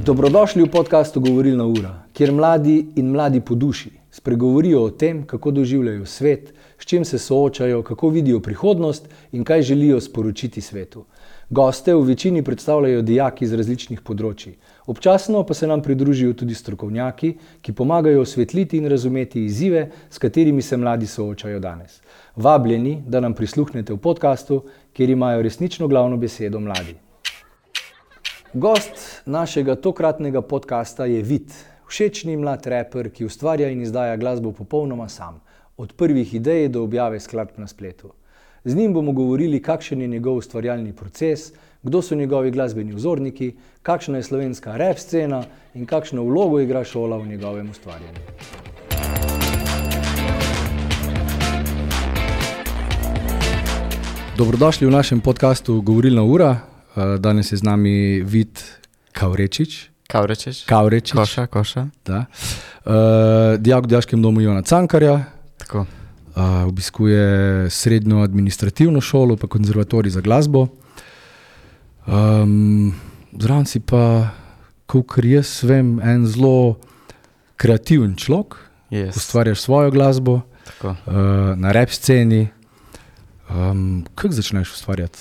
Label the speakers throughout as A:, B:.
A: Dobrodošli v podcastu Govorilna ura, kjer mladi in mladi po duši spregovorijo o tem, kako doživljajo svet, s čim se soočajo, kako vidijo prihodnost in kaj želijo sporočiti svetu. Goste v večini predstavljajo dijaki z različnih področij. Občasno pa se nam pridružijo tudi strokovnjaki, ki pomagajo osvetliti in razumeti izzive, s katerimi se mladi soočajo danes. Vabljeni, da nam prisluhnete v podcastu, kjer imajo resnično glavno besedo mladi. Gost našega tokratnega podcasta je Vid, všečni mlad raper, ki ustvarja in izdaja glasbo popolnoma sam, od prvih idej do objave skladb na spletu. Z njim bomo govorili, kakšen je njegov ustvarjalni proces, kdo so njegovi glasbeni vzorniki, kakšna je slovenska rap scena in kakšno vlogo igra šola v njegovem ustvarjanju. Dobrodošli v našem podcastu Govorilna ura. Danes je z nami Vid Kavrečič.
B: Koša.
A: Da. Dijak v Dijaškem domu Ivana Cankarja.
B: Tako.
A: Obiskuje srednjo administrativno šolo, pa konzervatorij za glasbo. Zraven si pa, kakor jaz vem, en zelo kreativen človek.
B: Yes.
A: Ustvarjaš svojo glasbo.
B: Tako.
A: Na rap sceni. Kako začneš ustvarjati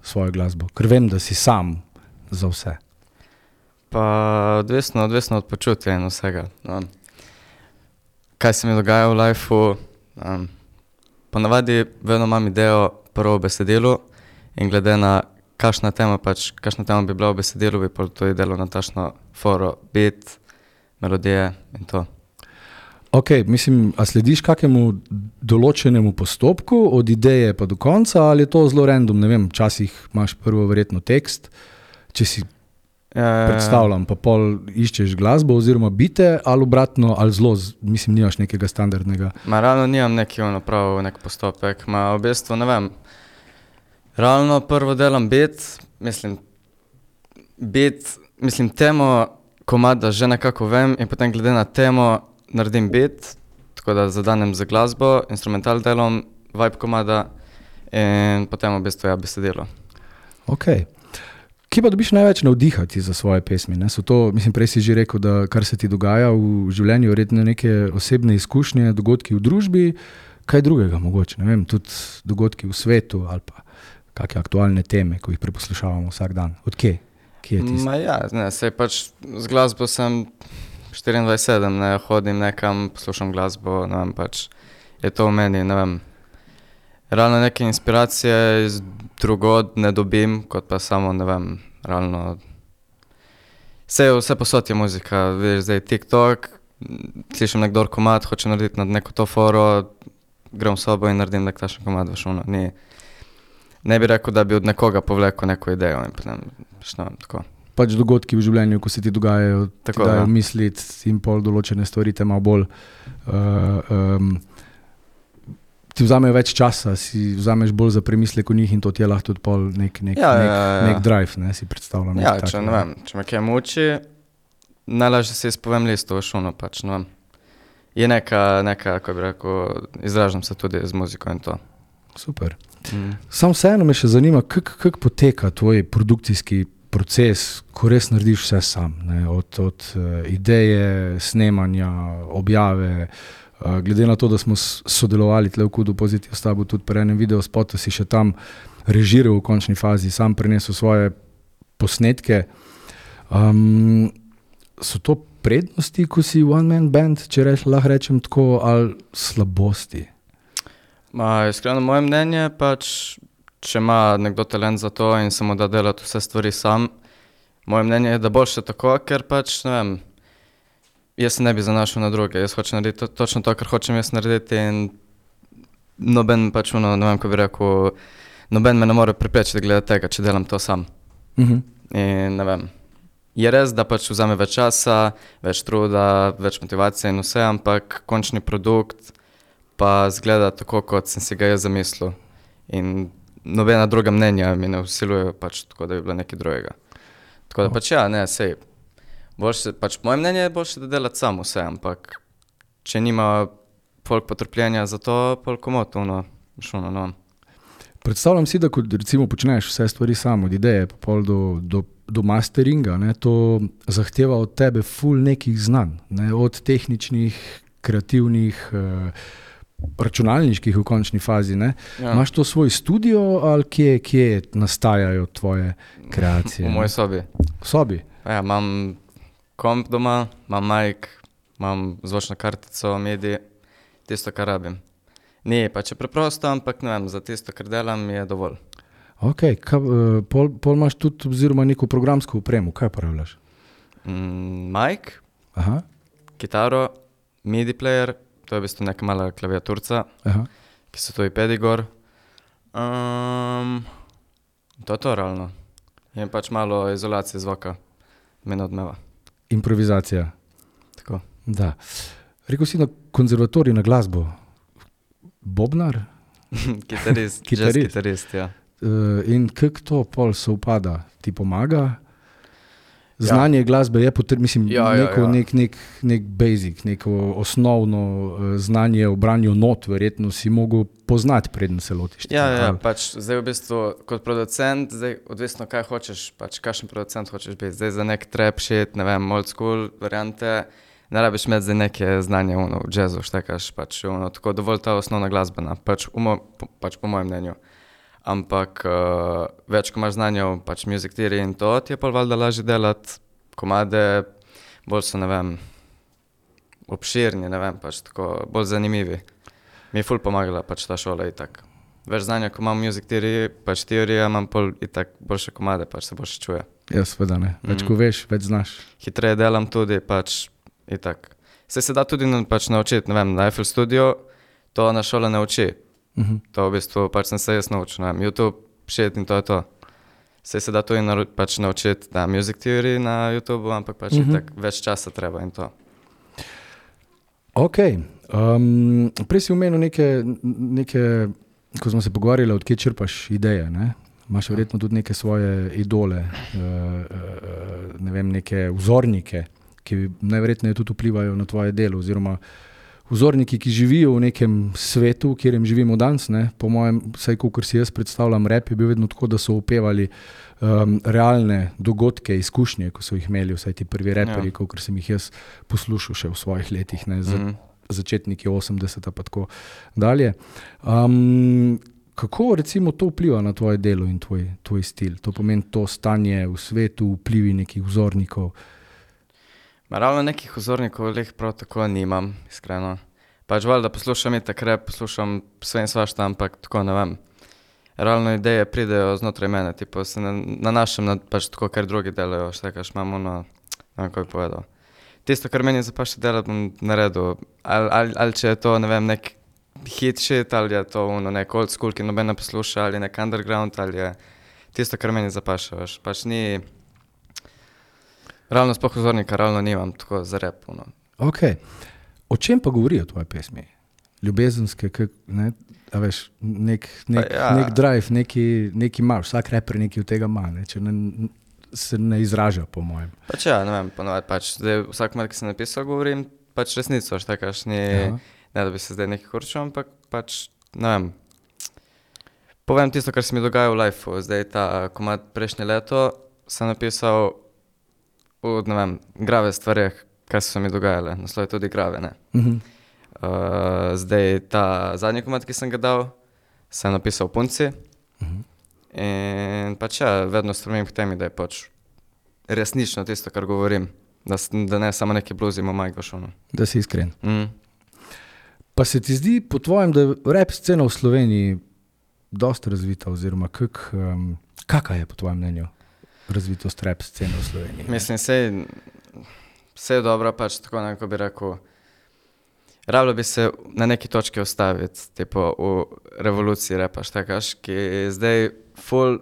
A: svojo glasbo? Ker vem, da si sam za vse.
B: Pa odvisno od počutja in vsega. Kaj se mi dogaja v lifeu? Ponavadi vedno imam idejo prvo v besedilu in glede na kakšna tema bi bila v besedilu, bi pa to delo na tašno foro, beat, melodije in to.
A: Ok, mislim, a slediš kakemu določenemu postopku od ideje pa do konca, ali je to zelo random, ne vem, včasih imaš prvo verjetno tekst, če si predstavljam, pa pol iščeš glasbo oziroma bite, ali obratno, ali zelo, mislim, nimaš nekega standardnega.
B: Realno nimam nek postopek, v bistvu, ne vem, realno prvo delam mislim temo komada že nekako vem in potem glede na temo naredim beat, tako da zadanem za glasbo, instrumental delom, vibe komada in potem v bistvu besedilo.
A: Ok. Kje pa dobiš največ navdihati za svoje pesmi? Ne? So to, mislim, prej si že rekel, da kar se ti dogaja v življenju, verjetno neke osebne izkušnje, dogodki v družbi, kaj drugega mogoče, ne vem, tudi dogodki v svetu ali pa kakšne aktualne teme, ko jih preposlušavamo vsak dan. Od kje? Kje je tisto?
B: Sej pač z glasbo sem 24/7, ne, hodim nekam, poslušam glasbo, ne vem, pač je to v meni, ne vem. Realno neke inspiracije iz drugod ne dobim, kot pa samo, ne vem, realno. Vse posod je muzika, vidiš, zdaj TikTok, slišim nekdor komad, hoče narediti na neko to foro, grem v sobo in naredim nek tašen komad, veš, ne bi rekel, da bi od nekoga povlekel neko idejo in potem, tako.
A: Pač dogodki v življenju, ko se ti dogajajo, ti dajo misliti in pol določene stvari te malo bolj ti vzamejo več časa, si vzameš bolj za premislek o njih in to ti je lahko tudi pol nek drive, ne, si predstavljam.
B: Če me kaj muči, najlažje si izpovem listu, veš, pač, ne vem. Je neka, kako bi rekel, izražam se tudi z muziko in to.
A: Super. Sam vseeno me še zanima, kako poteka tvoj produkcijski proces, ko res narediš vse sam, ne, od ideje, snemanja, objave. Glede na to, da smo sodelovali tle v Kudu Pozitiv s tabo tudi pri enem videospotu, si še tam režiral v končni fazi, sam prinesel svoje posnetke. So to prednosti, ko si one man band, če lahko rečem tako, ali slabosti?
B: Iskreno, moje mnenje pač, če ima nekdo talent za to in samo da delati vse stvari sam, moje mnenje je, da boljše tako, ker pač, ne vem, jaz se ne bi zanašal na druge, jaz hočem narediti točno to, kar hočem jaz narediti in noben pač, ne vem, ko bi rekel, noben me ne more preprečiti glede tega, če delam to sam. In ne vem, je res, da pač vzame več časa, več truda, več motivacije in vse, ampak končni produkt pa zgleda tako, kot sem si ga jaz zamislil. In nobena druga mnenja mi ne vsilujejo pač tako, da bi bilo nekaj drugega. Tako da pač sej, boljše, pač moje mnenje je boljše, da delati sam vse, ampak če nima folk potrpljenja za to, folk komot,
A: Predstavljam si, da kot recimo počneš vse stvari sam, od ideje pa pol do masteringa, ne, to zahteva od tebe ful nekih znanj, ne, od tehničnih, kreativnih, računalniških v končni fazi. Ne.
B: Ja.
A: Imaš to svoj studio ali kje nastajajo tvoje kreacije?
B: V moji sobi.
A: V sobi?
B: Ja, imam komp doma, imam mic, imam zvočno kartico, MIDI, tisto, kar rabim. Ni pač je preprosto, ampak ne vem, za tisto, kar delam, je dovolj.
A: Ok, pol imaš tudi oziroma neko programsko opremo, kaj uporabljaš?
B: Mic,
A: Aha,
B: kitaro, MIDI player, to je v bistvu neka mala klaviaturca,
A: aha.
B: ki se to pedi gor. To je to realno. In pač malo izolacije zvoka, me ne odmeva.
A: Improvizacija.
B: Tako.
A: Da. Rekel si na konzervatoriju na glasbo. Bobnar?
B: Kitarist, jazz
A: Kitarist.
B: kitarist, ja.
A: In kako to pol sovpada? Ti pomaga? Znanje glasbe je mislim, nek basic, neko osnovno znanje o branju not, verjetno si mogel poznati, preden se lotiš.
B: Ja, pač zdaj v bistvu kot producent, zdaj odvisno kaj hočeš, pač kakšen producent hočeš biti. Zdaj za nek trap shit, ne vem, old school variante, ne rabiš imeti zdaj neke znanje v jazzu, štekaš, pač tako dovolj ta osnovna glasbena, pač po mojem mnenju. Ampak več, ko imaš znanje o pač music theory in to, ti je pa valjda lažje delati komade, bolj so, ne vem, obširni, ne vem, pač tako, bolj zanimivi. Mi je ful pomagala pač ta šola itak. Več znanja, ko imam music theory, pač teorija, imam pol itak boljše komade, pač se boljše čuje.
A: Ja, seveda ne. Več ko veš, več znaš.
B: Hitreje delam tudi, pač itak. Se da tudi pač naučiti, ne vem, na FL Studio, to na šola ne uči. To v bistvu pač sem se jaz naučil, ne vem, YouTube, shit in to je to. Se da tudi pač naučiti na music theory na YouTube, ampak pač itak več časa treba in to.
A: Ok. Prej si omenil neke, ko smo se pogovarjali, odkje črpaš ideje, ne? Imaš verjetno tudi neke svoje idole, ne vem, neke vzornike, ki najverjetneje tudi vplivajo na tvoje delo, oziroma vzorniki, ki živijo v nekem svetu, v katerem živimo danes, ne? Po mojem, vsaj kakor si jaz predstavljam, rap je bil vedno tako, da so opevali realne dogodke, izkušnje, ko so jih imeli vsaj ti prvi raperji, kakor sem jih jaz poslušal še v svojih letih, ne? Začetniki 80 pa tako dalje. Kako recimo to vpliva na tvoje delo in tvoj stil? To pomeni to stanje v svetu, vplivi nekih vzornikov?
B: Ravno nekih vzornikov leh prav tako nimam, iskreno. Pač valjda poslušam itak rap, poslušam sve in svašta, ampak tako ne vem. Realno ideje pridejo znotraj mene, tipo se nanašam na pač tako, kar drugi delajo, štekaš, imam ono, ne vem, kako bi povedal. Tisto, kar meni zapaše delati, bom naredil. Ali če je to, ne vem, nek hit shit, ali je to nek old school, ki noben ne posluša, ali nek underground, ali je tisto, kar meni zapaše, veš. Pač ni... Ravno sploh vzornika, ravno nimam tako za rap.
A: Ok. O čem pa govorijo tvoje pesmi? Ljubezenske, ne? A veš, nek drive, neki imaš, vsak raper nekaj od tega ima, ne? Če se ne izraža, po mojem.
B: Pač ja, ne vem, ponovadi pač, zdaj vsak moment, ki sem napisal, govorim pač resnico, štekaš, ne da bi se zdaj nekaj kurčil, ampak pač, ne vem, povem tisto, kar se mi dogaja v lifeu. Zdaj ta komad prejšnje leto sem napisal ne vem, grave stvareh, kaj so mi dogajale. Naslov je tudi grave, ne. Zdaj ta zadnji komad, ki sem ga dal, sem napisal punci. In pač ja, vedno stremim k temi, da je pač resnično tisto, kar govorim. Da ne samo neki bluzi, ima majk v šunu.
A: Da si iskren. Pa se ti zdi po tvojem, da je rap scena v Sloveniji dosti razvita, oziroma kaka je po tvojem mnenju razvitost rap scene v Sloveniji?
B: Mislim, vse je dobro, pač tako nekako bi rekel. Rabilo bi se na neki točki ostaviti, tipo v revoluciji rapa, štekaš, ki zdaj full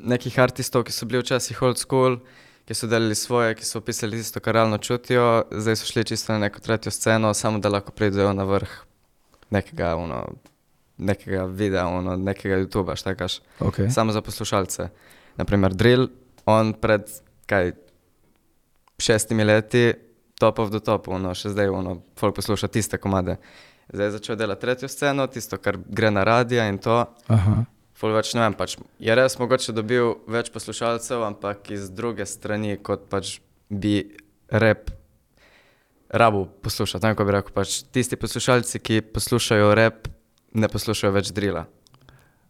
B: nekih artistov, ki so bili včasih old school, ki so delali svoje, ki so opisali tisto, kar realno čutijo, zdaj so šli čisto na neko tretjo sceno, samo da lahko pridejo na vrh nekega videa, nekega YouTubea, štekaš.
A: Okay.
B: Samo za poslušalce. Naprimer Drill, on pred 6 leti top of the top, še zdaj folk posluša tiste komade. Zdaj je začel delati tretjo sceno, tisto, kar gre na radija in to.
A: Aha.
B: ful več, ne vem, pač je res mogoče dobil več poslušalcev, ampak iz druge strani, kot pač bi rap rabu poslušati. Tako bi rekel, pač tisti poslušalci, ki poslušajo rap, ne poslušajo več drila,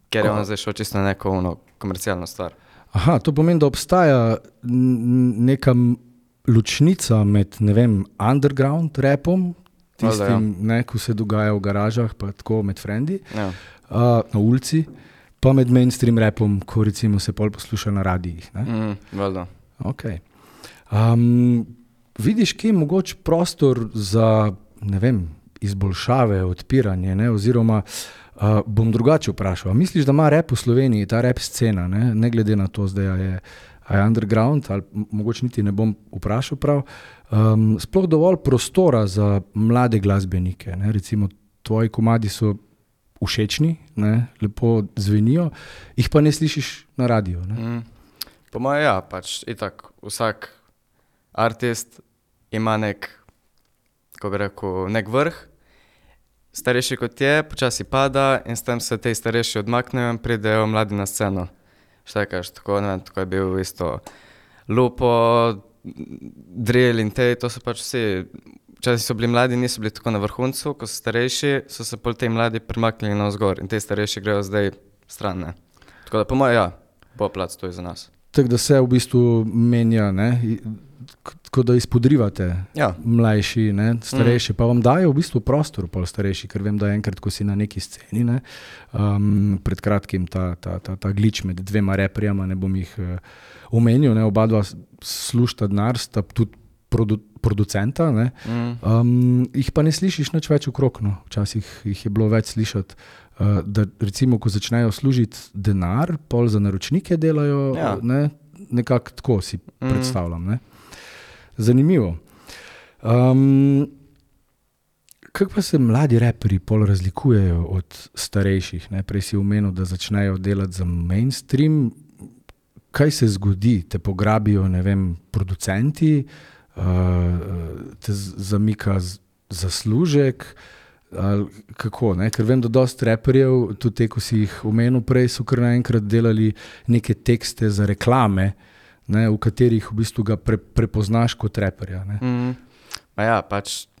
B: ker je on zdaj šel čisto na neko komercialno stvar.
A: Aha, to pomeni, da obstaja neka ločnica med, ne vem, underground rapom, tistim, ko se dogaja v garažah, pa tako med frendi, na ulici, pa med mainstream rapom, ko recimo se pol posluša na radijih.
B: Valjda.
A: Okay. Vidiš, kje je mogoč prostor za, ne vem, izboljšave, odpiranje, ne? Oziroma bom drugače vprašal. Misliš, da ima rap v Sloveniji, ta rap scena, ne glede na to, zdaj je underground, ali mogoče niti ne bom vprašal prav, sploh dovolj prostora za mlade glasbenike, ne? Recimo tvoji komadi so všečni, ne? Lepo zvenijo, jih pa ne slišiš na radiju. Ne?
B: Po moje ja, pač itak vsak artist ima nek, kako bi rekel, nek vrh, starejši kot je, počasi pada in s tem se te starejši odmaknejo in pridejo mladi na sceno. Štekaš, tako, ne vem, tako je bil isto Lupo, Drill in to so pač vsi, včasih so bili mladi, niso bili tako na vrhuncu, ko so starejši, so se pol te mladi premaknili navzgor in te starejši grejo zdaj stran, ne. Tako da po moje ja, bo plac to je za nas.
A: Tako da se v bistvu menja, ne? Tako da izpodrivate mlajši, ne? Starejši, pa vam dajo v bistvu prostor pol starejši, ker vem, da enkrat, ko si na neki sceni, ne? Pred kratkim ta glitch med dvema reperjama, ne bom jih omenil, ne? Oba dva slušta denar, sta tudi producenta, ne? Jih pa ne slišiš nič več okrog, no. Včasih jih je bilo več slišati, da recimo, ko začnejo služiti denar, pol za naročnike delajo, ne? Nekako tako si predstavljam, ne? Zanimivo. Kako pa se mladi raperji pol razlikujejo od starejših, ne? Prej si omenil, da začnejo delati za mainstream. Kaj se zgodi? Te pograbijo, ne vem, producenti, te zamika zaslužek, ali kako, ne? Ker vem, da dosti raperjev, tudi te, ko si jih omenil prej, so kar naenkrat delali neke tekste za reklame, ne, v katerih v bistvu ga prepoznaš kot raperja, ne.
B: Ja, pač,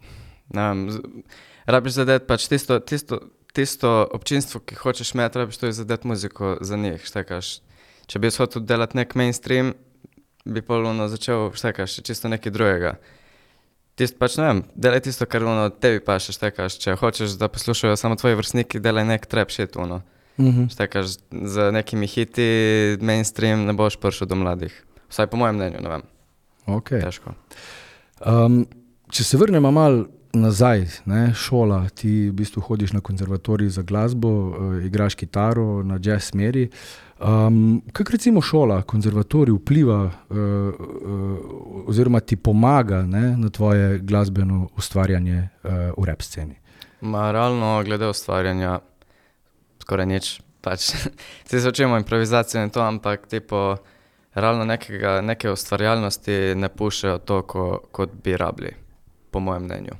B: ne vem, rabiš zadeti pač tisto občinstvo, ki hočeš imeti, rabiš to zadeti muziko za njih, štekaš. Če bi hotel delati nek mainstream, bi pol začel, štekaš, čisto nekaj drugega. Pač ne vem, delaj tisto, kar tebi paše, štekaš. Če hočeš, da poslušajo samo tvoji vrstniki, delaj nek trap shit, štekaš, z nekimi hiti mainstream ne boš prišel do mladih. Vsaj po mojem mnenju, ne vem.
A: Okay.
B: Težko.
A: Če se vrnemo malo nazaj, ne, šola, ti v bistvu hodiš na konzervatorij za glasbo, igraš kitaro na jazz smeri. Kako recimo šola, konzervatorij vpliva oziroma ti pomaga, ne, na tvoje glasbeno ustvarjanje v rap sceni?
B: Realno glede ustvarjanja skoraj nič. Pač, se učimo improvizacijo in to, ampak tipo, realno neke ustvarjalnosti ne pušejo toliko, kot bi rabili, po mojem mnenju.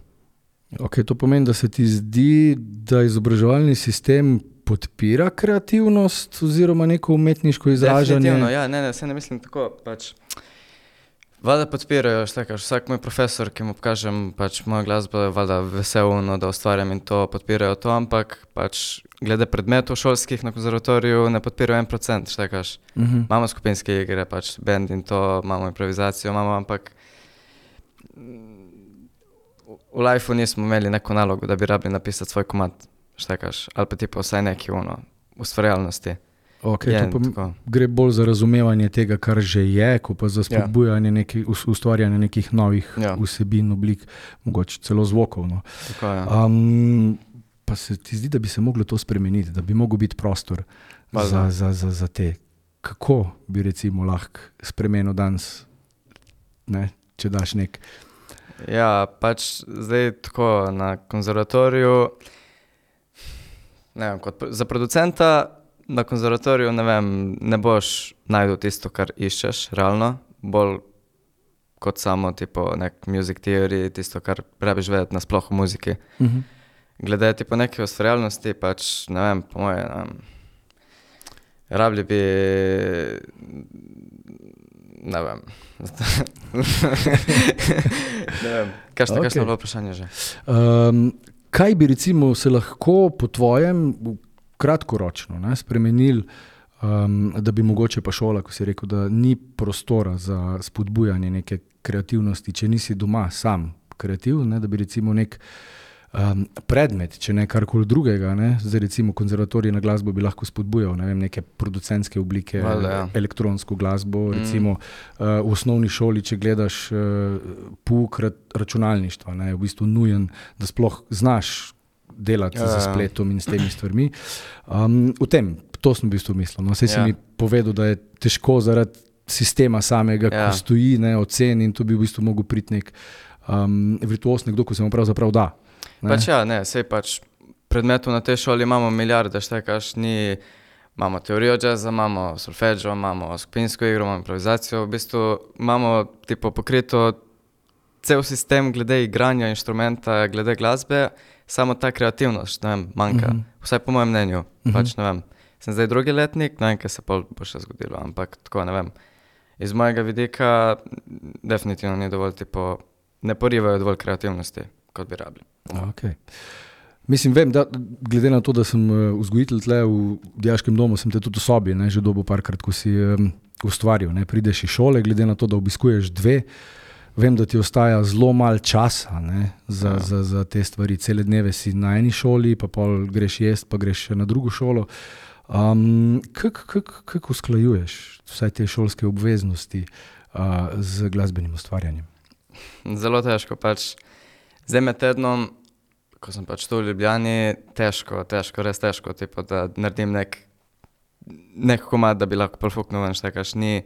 A: Ok, to pomeni, da se ti zdi, da izobraževalni sistem podpira kreativnost oziroma neko umetniško izražanje?
B: Definitivno, ja, se ne mislim tako, pač, valjda podpirajo, štekaš, vsak moj profesor, ki mu pokažem pač moja glasba, je valjda veselno, da ustvarjam in to podpirajo to, ampak pač glede predmetov šolskih na konzervatoriju ne podpirajo 1%, štekaš. Imamo skupinske igre, pač band in to, imamo improvizacijo, ampak v lifeu nismo imeli neko nalogo, da bi rabili napisati svoj komad, štekaš, ali pa tipo vsaj neki ustvarjalnosti.
A: Ok, to gre bolj za razumevanje tega, kar že je, ko pa za spodbujanje ustvarjanje nekih novih vsebin, oblik, mogoče celo zvokov. No.
B: Tako je.
A: Pa se ti zdi, da bi se moglo to spremeniti, da bi mogel biti prostor za te. Kako bi recimo lahko spremenil danes, ne, če daš nek?
B: Ja, pač zdaj tako na konzervatoriju, ne vem, kot za producenta na konzervatoriju, ne vem, ne boš najdel tisto, kar iščeš, realno, bolj kot samo tipo nek music theory, tisto, kar rabiš vedeti nasploh o muziki. Glede tipo neke ustvarjalnosti, pač, ne vem, po moje, Rabili bi, ne vem. Ne vem, kakšno je bilo vprašanje že?
A: Kaj bi recimo se lahko po tvojem kratkoročno spremenili, da bi mogoče pa šola, ko si rekel, da ni prostora za spodbujanje neke kreativnosti, če nisi doma sam kreativ, da bi recimo nek predmet, če ne karkoli drugega, zdaj recimo konzervatorij na glasbo bi lahko spodbujal, ne vem, neke producentske oblike, elektronsko glasbo, recimo v osnovni šoli, če gledaš pouk računalništva, je v bistvu nujen, da sploh znaš delati za spletom in s temi stvarmi. To sem v bistvu mislil. Saj si mi povedal, da je težko zaradi sistema samega, ko stoji, ocen in to bi v bistvu mogel priti nek virtuoz, nekdo, ko se mu pravzaprav da.
B: Sej predmetov na tej šoli imamo milijarde, imamo teorijo jazza, imamo solfeggio, imamo skupinsko igro, imamo improvizacijo, v bistvu imamo pokrito cel sistem glede igranja inštrumenta, glede glasbe, samo ta kreativnost, manjka, vsaj po mojem mnenju, sem zdaj drugi letnik, ne vem, kaj se bo še zgodilo, ampak tako, iz mojega vidika definitivno ni dovolj, ne porivajo dovolj kreativnosti, kot bi rabili.
A: Okay. Mislim, vem, da glede na to, da sem vzgojitelj tle v dijaškem domu, sem te tudi v sobi, že dobil parkrat, ko si ustvaril, prideš iz šole, glede na to, da obiskuješ 2, vem, da ti ostaja zelo malo časa za te stvari. Cele dneve si na eni šoli, pa pol greš jest, pa greš na drugo šolo. Kako usklajuješ vsaj te šolske obveznosti z glasbenim ustvarjanjem?
B: Zelo težko, zdaj med tednom, ko sem tu v Ljubljani, težko, res težko, da naredim nek komad, da bi lahko profuknil ven, ni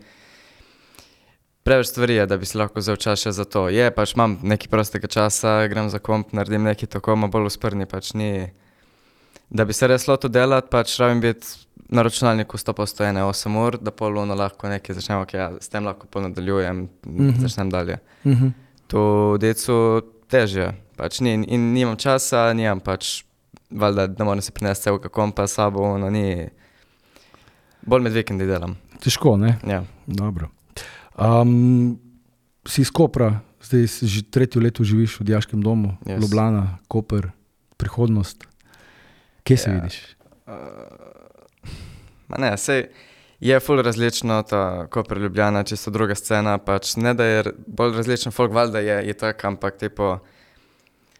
B: preveč stvari, da bi si lahko vzel čas še za to. Imam nekaj prostega časa, grem za komp, naredim nekaj tako, bolj usprni, ni. Da bi se res lotil delati, rabim biti na računalniku 100% 8 ur, da pol lahko nekaj začnem, s tem lahko pol nadaljujem, začnem dalje. To decu težje, in nimam časa, nimam valjda, da moram se prinesti celega kompa s sabo, bolj med vikendi delam.
A: Težko, ne?
B: Ja.
A: Dobro. Si iz Kopra, zdaj že 3. leto živiš v dijaškem domu, Ljubljana, Koper, prihodnost. Kje se vidiš?
B: Sej je ful različno ta Koper, Ljubljana, čisto druga scena, ne da je bolj različen folk, valjda je tak, ampak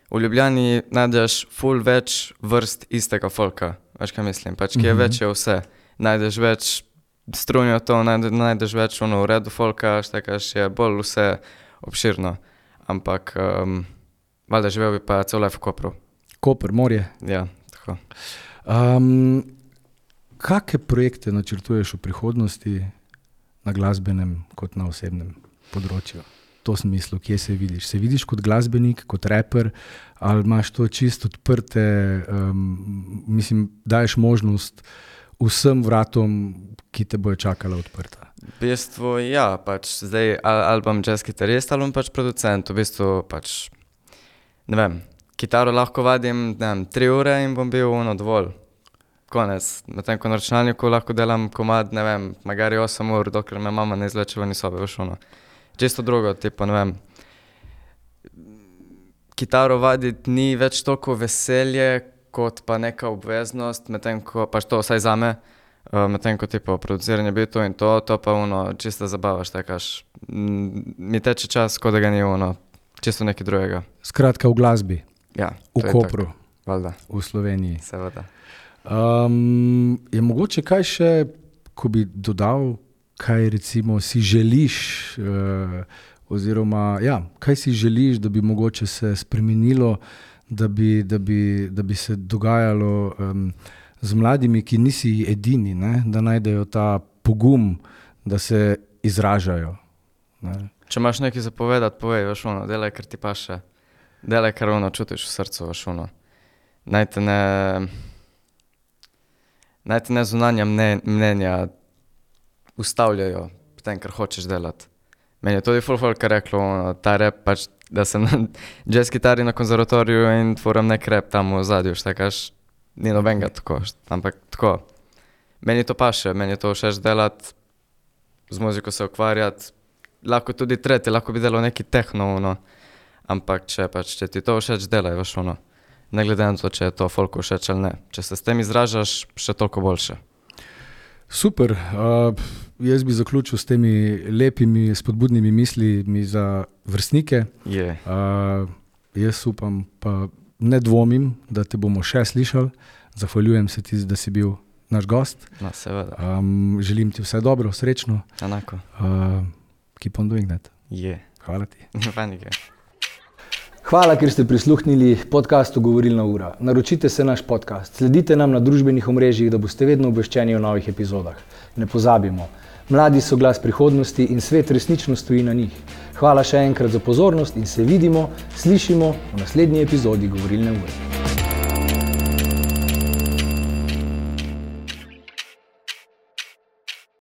B: v Ljubljani najdeš ful več vrst istega folka, veš kaj mislim, kje je več je vse, najdeš več strunjo to, najdeš več v redu folka, je bolj vse obširno, ampak valjda živel bi pa cel life v Kopru.
A: Koper, morje.
B: Ja, tako.
A: Kakšne projekte načrtuješ v prihodnosti na glasbenem kot na osebnem področju? To sem mislil, kje se vidiš? Se vidiš kot glasbenik, kot raper, ali imaš to čisto odprte, daješ možnost vsem vratom, ki te bojo čakala odprta?
B: V bistvu, zdaj ali bom jazz kitarist, ali bom producent, v bistvu ne vem, kitaro lahko vadim, 3 ure in bom bil dovolj. Konec. Medtem ko na računalniku lahko delam komad, ne vem, magari 8 ur, dokler me mama ne izvleče ven iz sobe, veš ono. Čisto drugo, ne vem. Kitaro vaditi ni več toliko veselje, kot pa neka obveznost, medtem ko, to vsaj zame, medtem ko produciranje bitov in to pa čista zabava, mi teče čas, ko da ga ni čisto nekaj drugega.
A: Skratka, v glasbi.
B: Ja,
A: v Kopru.
B: Valjda.
A: V Sloveniji.
B: Seveda.
A: Je mogoče kaj še, ko bi dodal, kaj recimo si želiš, oziroma kaj si želiš, da bi mogoče se spremenilo, da bi se dogajalo z mladimi, ki nisi edini, da najdejo ta pogum, da se izražajo.
B: Če imaš nekaj za povedati, povej, veš ono, delaj, ker ti paše. Delaj, kar čutiš v srcu, veš ono. Naj te ne zunanja mnenja ustavljajo v tem, kar hočeš delati. Meni je tudi folk reklo, ta rap, da sem na jazz kitari na konzervatoriju in tvorim nek rap tam v zadju, ni nobenega tako, ampak tako. Meni to paše, meni to všeč delati, z muziko se ukvarjati. Lahko tudi tretji, lahko bi delal neki tehno, ampak če ti to všeč, delaj, veš, ne glede na to, če je to folku všeč ali ne. Če se s tem izražaš, še toliko boljše.
C: Super, jaz bi zaključil s temi lepimi, spodbudnimi mislimi za vrstnike. Jaz upam, pa ne dvomim, da te bomo še slišali. Zahvaljujem se ti, da si bil naš gost.
B: No, seveda.
C: Želim ti vse dobro, srečno.
B: Enako.
C: Keep on doing that. Hvala ti.
A: Hvala, ker ste prisluhnili podcastu Govorilna ura. Naročite se naš podcast, sledite nam na družbenih omrežjih, da boste vedno obveščeni o novih epizodah. Ne pozabimo, mladi so glas prihodnosti in svet resnično stoji na njih. Hvala še enkrat za pozornost in se vidimo, slišimo v naslednji epizodi Govorilne ure.